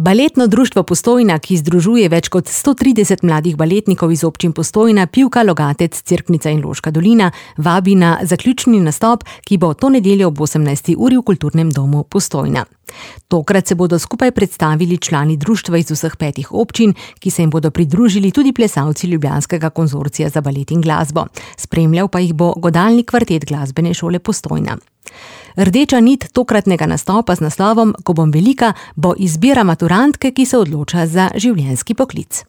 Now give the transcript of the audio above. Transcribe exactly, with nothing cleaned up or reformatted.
Baletno društvo Postojna, ki združuje več kot sto trideset mladih baletnikov iz občin Postojna, Pivka, Logatec, Cerknica in Loška dolina, vabi na zaključni nastop, ki bo to nedeljo ob osemnajsti uri v Kulturnem domu Postojna. Tokrat se bodo skupaj predstavili člani društva iz vseh petih občin, ki se jim bodo pridružili tudi plesalci Ljubljanskega konzorcija za balet in glasbo. Spremljal pa jih bo godalni kvartet Glasbene šole Postojna. Rdeča nit tokratnega nastopa z naslovom Ko bom velika bo izbira maturantke, ki se odloča za življenjski poklic.